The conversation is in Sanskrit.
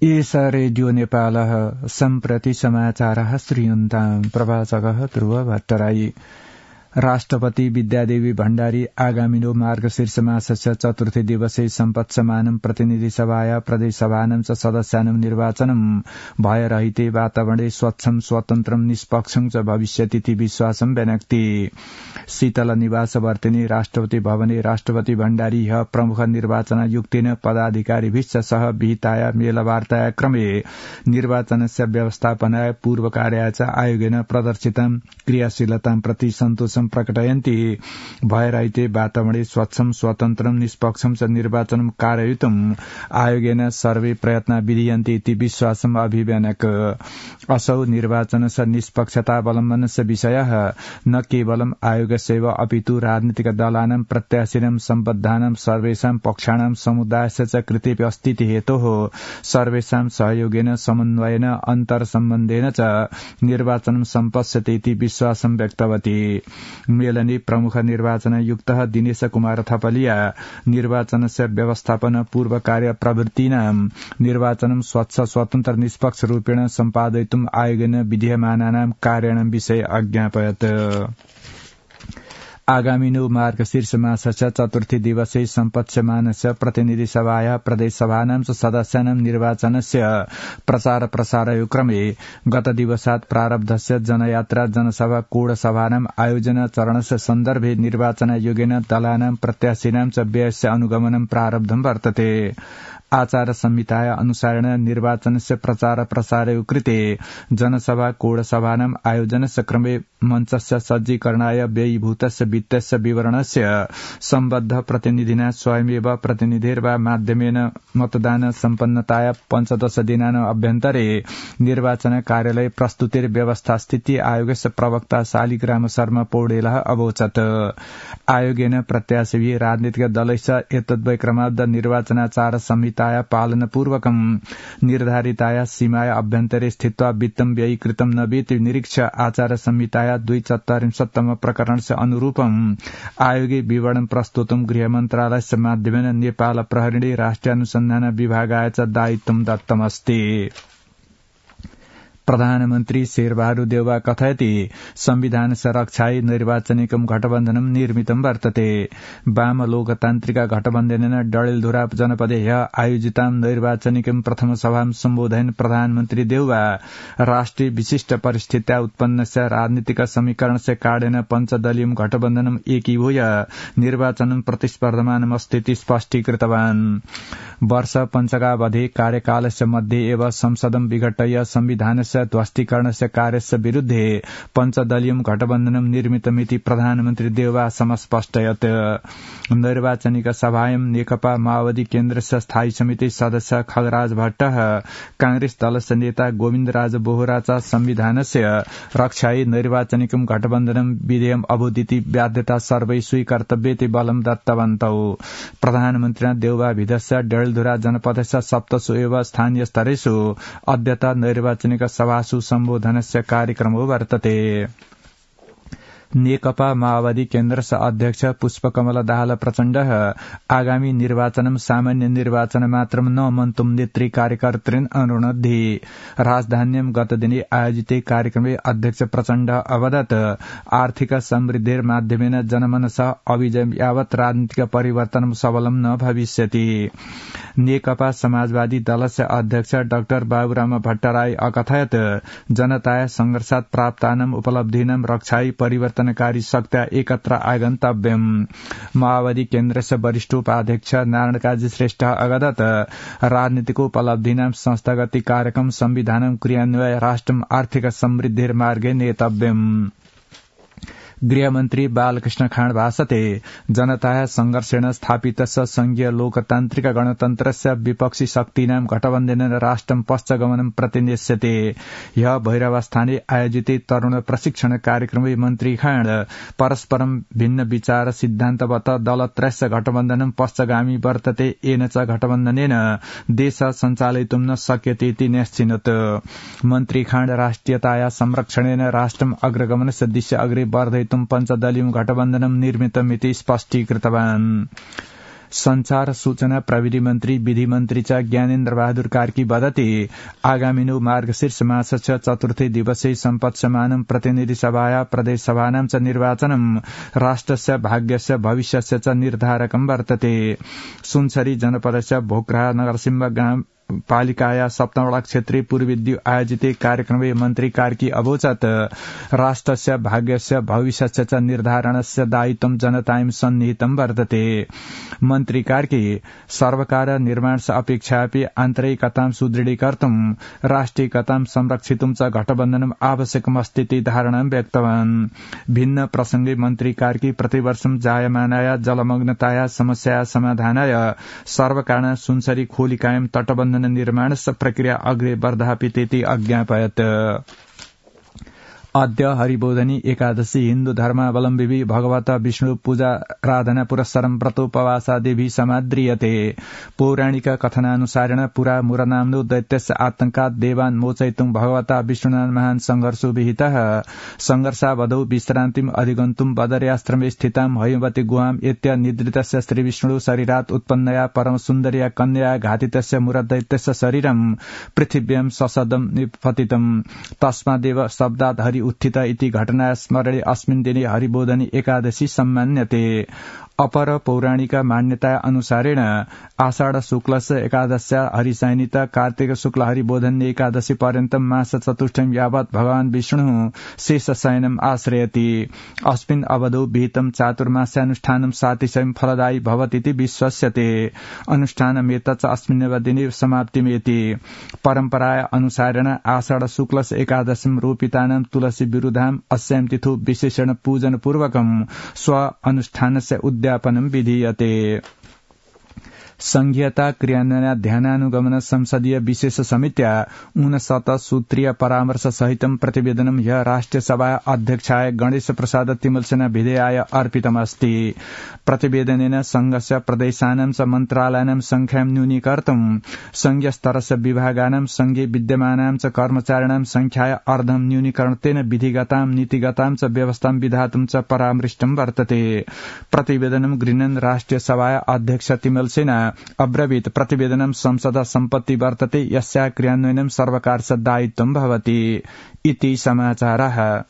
एष रेडियो नेपालः सम्प्रति समाचारः श्रूयन्ताम् प्रवाचकः ध्रुव भट्टराई। राष्ट्रपति विद्यादेवी भण्डारी आगामिनो मार्गशीर्ष मासस्य चतुर्थी दिवसे सम्पत्समानं प्रतिनिधि सभाया प्रदेश सभानं च सदस्यानं निर्वाचनं भयरहिते वातावरणे स्वच्छं स्वतन्त्रं निष्पक्षं च भविष्यतीति विश्वासं व्यनक्ति। शीतल निवास वर्तिनी राष्ट्रपति भवने राष्ट्रपति भण्डारी प्रमुख निर्वाचनायुक्तेन पदाधिकारिभिश्च सह विहिताया मेलवार्ताया क्रमे निर्वाचनस्य व्यवस्थापनाय पूर्वकार्याय च आयोगेन प्रदर्शितं क्रियाशीलतां प्रति सन्तोषं प्रकटयन्ति। भयरहिते वातावरणे स्वच्छं स्वतन्त्रं निष्पक्षं च निर्वाचनं कारयितुम् आयोगेन सर्वे प्रयत्ना विधीयन्ते इति विश्वासम् अभिव्यनक। असौ निर्वाचनस्य निष्पक्षतावलम्बनस्य विषयः न केवलम् आयोगस्यैव अपितु राजनीतिक दलानां प्रत्याशिनां सम्बद्धानां सर्वेषां पक्षाणां समुदायस्य च कृते अस्तीति हेतोः सर्वेषां सहयोगेन समन्वयेन अन्तर्सम्बन्धेन च निर्वाचनं सम्पत्स्यते इति विश्वासं व्यक्तवती। मेलने प्रमुख निर्वाचनायुक्तः दिनेश कुमार थपलिया निर्वाचनस्य व्यवस्थापन पूर्व कार्य प्रवृत्तीनां निर्वाचनं स्वच्छ स्वतन्त्र निष्पक्ष रूपेण सम्पादयितुम् आयोगेन विधीयमानानां कार्याणां विषये अज्ञापयत्। आगामिनो मार्गशीर्ष मासस्य चतुर्थी दिवसे सम्पत्स्यमानस्य प्रतिनिधि सभाया प्रदेश सभानां च सदस्यानां निर्वाचनस्य प्रचार प्रसारयो क्रमे गत दिवसात् प्रारब्धस्य जनयात्रा जनसभा कोड सभानां आयोजन चरणस्य सन्दर्भे निर्वाचनायोगेन दलानां प्रत्याशिनां च व्ययस्य अनुगमनं प्रारब्धं वर्तते। आचार संहिताया अनुसारेण निर्वाचनस्य प्रचार प्रसारयो कृते जनसभा कोड सभानां आयोजनस्य क्रमे मञ्चस्य सज्जीकरणाय व्ययीभूतस्य वित्तस्य विवरणस्य सम्बद्ध प्रतिनिधिना स्वयमेव प्रतिनिधिर्वा माध्यमेन मतदान सम्पन्नताया 15 दिनानाम् अभ्यन्तरे निर्वाचन कार्यालय प्रस्तुतिर व्यवस्था स्थिति आयोगस्य प्रवक्ता शालिग्राम शर्मा पौडेलः अवोचत्। आयोगेन प्रत्याशिभिः राजनीतिक दलैश्च एतद्वैक्रमाद्ध निर्वाचनाचार संहिताया पालनपूर्वकं निर्धारिताया सीमाया अभ्यन्तरे स्थित्वा वित्तं व्ययीकृतं न वेति निरीक्ष्य आचार संहिताया 244 प्रकरणस्य अनुरूपम् आयोगे विवरणं प्रस्तुतं गृहमन्त्रालयस्य माध्यमेन नेपाल प्रहरीणे राष्ट्रिय अनुसन्धान विभागाय च दायित्वं दत्तमस्ति। प्रधानमन्त्री शेरबहादुर देउवा कथयति संविधानस्य रक्षायै निर्वाचनिकं गठबन्धनं निर्मितं वर्तते। वाम लोकतान्त्रिक गठबन्धनेन डडेलधुरा जनपदे आयोजितां निर्वाचनिकं प्रथम सभां सम्बोधयन् प्रधानमन्त्री देउवा राष्ट्रिय विशिष्ट परिस्थित्या उत्पन्नस्य राजनीतिक समीकरणस्य कारणेन पञ्चदलीयं गठबन्धनं एकीभूय निर्वाचनं प्रतिस्पर्धमानमस्तीति स्पष्टीकृतवान्। वर्ष पञ्चकावधि कार्यकालस्य मध्ये एव संसदं विघटय संविधानस्य ध्वस्तीकरणस्य कार्यस्य विरुद्धे पञ्चदलीयं गठबन्धनं निर्मितमिति प्रधानमन्त्री देउवा समस्पष्टयत्। निर्वाचनिक सभायां नेकपा माओवादी केन्द्रस्य स्थायी समिति सदस्य खगराज भट्टः कांग्रेस दलस्य नेता गोविन्दराज बोहरा च संविधानस्य रक्षायै निर्वाचनिकं गठबन्धनं विधेयम् अभूदिति बाध्यता सर्वै स्वीकर्तव्येति बलं दत्तवन्तौ। प्रधानमन्त्रिणा देउवा विधस्य डडेलधुरा जनपदस्य सप्तसु एव स्थानीय स्तरेषु अद्यतः निर्वाचनिक सभासु सम्बोधनस्य कार्यक्रमो वर्तते। नेकपा माओवादी केन्द्रस्य अध्यक्ष पुष्पकमल दाहाल प्रचण्डः आगामी निर्वाचनं सामान्य निर्वाचन मात्रं न मन्तुं नेत्री कार्यकर्तॄन् अनुरोधि। राजधान्यां गतदिने आयोजिते कार्यक्रमे अध्यक्ष प्रचण्ड अवदत् आर्थिक समृद्धिर्माध्यमेन जनमनसः अभिजय यावत् राजनीतिक परिवर्तनं सबलं न भविष्यति। नेकपा समाजवादी दलस्य अध्यक्ष डाक्टर बाबुराम भट्टराई अकथयत् जनताया संघर्षात् प्राप्तानाम् उपलब्धीनां रक्षायै परिवर्तनकारी शक्त्या एकत्र आगन्तव्यम्। माओवादी केन्द्रस्य वरिष्ठ उपाध्यक्ष नारायण काजी श्रेष्ठ अवदत् राजनीतिकोपलब्धीनां संस्थागत कार्यक्रम संविधानं क्रियान्वय राष्ट्रम् आर्थिक समृद्धिर्मार्गे नेतव्यम्। गृहमन्त्री बालकृष्ण खाँड भाषते जनताया संघर्षेण स्थापितस्य संघीय लोकतान्त्रिक गणतन्त्रस्य विपक्षी शक्तीनां गठबन्धनेन राष्ट्रं पश्चगमनं प्रतिनिश्यते। ह्य भैरवस्थाने आयोजिते तरुण प्रशिक्षण कार्यक्रमे मन्त्री खाँड परस्परं भिन्न विचार सिद्धान्तवत दलत्रयस्य गठबन्धनं पश्चगामी वर्तते येन च गठबन्धनेन देश सञ्चालयितुं न शक्यते इति न्यस्चिनोत्। मन्त्री खाँड राष्ट्रियताया संरक्षणेन राष्ट्रम् अग्रगमनस्य दिशा अग्रे वर्धयितुं पञ्चदलीयं गठबन्धनं निर्मितमिति स्पष्टीकृतवान्। संचार सूचना प्रविधि मन्त्री विधि मन्त्री च ज्ञानेन्द्र बहादुर कार्की वदति आगामिनो मार्गशीर्ष मासस्य चतुर्थी दिवसे सम्पत्स्यमानं प्रतिनिधि सभाया प्रदेश सभानां च निर्वाचनं राष्ट्रस्य भाग्यस्य भविष्यस्य च निर्धारकं वर्तते। सुनसरी जनपदस्य भोक्रा नरसिंह पालिकाया सप्तमवटा क्षेत्रीय पूर्वविद्यु आयोजिते कार्यक्रमे मन्त्री कार्की अवोचत् राष्ट्रस्य भाग्यस्य भविष्यस्य च निर्धारणस्य दायित्वं जनतायां सन्निहितं वर्तते। मन्त्री कार्की सर्वकार निर्माणस्य अपेक्षापि आन्तरिकतां सुदृढीकर्तुं राष्ट्रियतां संरक्षितुं च गठबन्धनम् आवश्यकमस्तीति धारणां व्यक्तवान्। भिन्न प्रसंगे मन्त्री कार्की प्रतिवर्षं जायमानाया जलमग्नताया समस्याया समाधानाय सर्वकारेण सुनसरी खोलिकायं तटबन्धन निर्माणस्य प्रक्रिया अग्रे वर्धापितेति अज्ञापयत्। अद्य हरिबोधनी एकादशी हिन्दू धर्मावलम्बी भगवत विष्णु पूजा आराधना पुरस्सरं व्रतोपवासादिभिः समाद्रियते। पौराणिक कथनानुसारेण पुरा मुरनाम्नो दैत्यस्य आतंकात् देवान् मोचयितुं भगवता विष्णुना महान् संघर्षो विहितः। संघर्षावधौ विश्रान्तिम् अधिगन्तुं बदर्याश्रमे स्थितां हयवती गुहाम् एत्य निद्रितस्य श्रीविष्णु शरीरात् उत्पन्नया परमसुन्दर्या कन्यया घातितस्य मुरदैत्यस्य शरीरं पृथिव्यां ससदं निपतितम्। तस्मादेव शब्दात् हरि उत्थित इति घटना स्मरणे अस्मिन् दिने हरिबोधनी एकादशी सम्मान्यते। अपर पौराणिक मान्यता अनुसारेण आषाढ शुक्लस्य एकादश्या हरिशयनित कार्तिक शुक्ल हरिबोधनी एकादशी पर्यन्तं मास चतुष्टयं यावत् भगवान् विष्णुः शेषशयनम् आश्रयति। अस्मिन् अवधौ विहितं चातुर्मास्यानुष्ठानं सातिशयं फलदायी भवतीति विश्वस्यते। अनुष्ठानमेतत् अस्मिन्नेव दिने समाप्तिमेति। परम्पराया अनुसारेण आषाढ शुक्लस्य एकादशीं रोपितानां तुलसी विरुधाम् अस्यां तिथौ विशेषण पूजन पूर्वकं स्व अनुष्ठानस्य उद्यापनं विधीयते। संघीयता क्रियान्वयनाध्यानानुगमन संसदीय विशेष समित्या 59 सूत्रीय परामर्श सहितं प्रतिवेदनं ह्यः राष्ट्रिय सभा अध्यक्षाय गणेश प्रसाद तिमलसेना विधेयाय अर्पितमस्ति। प्रतिवेदनेन संघस्य प्रदेशानां च मन्त्रालयानां संख्यां न्यूनीकर्तुं संघीय स्तरस्य विभागानां संघे विद्यमानां च कर्मचारिणां संख्याय अर्धं न्यूनीकरणतेन विधिगतां नीतिगतां च व्यवस्थां विधातुं च परामृष्टं वर्तते। प्रतिवेदनं गृह्णन् राष्ट्रिय सभा अध्यक्ष तिमलसेना अब्रवीत् प्रतिवेदनं संसद सम्पत्ति वर्तते यस्या क्रियान्वयनं सर्वकारस्य दायित्वं भवति इति समाचारः।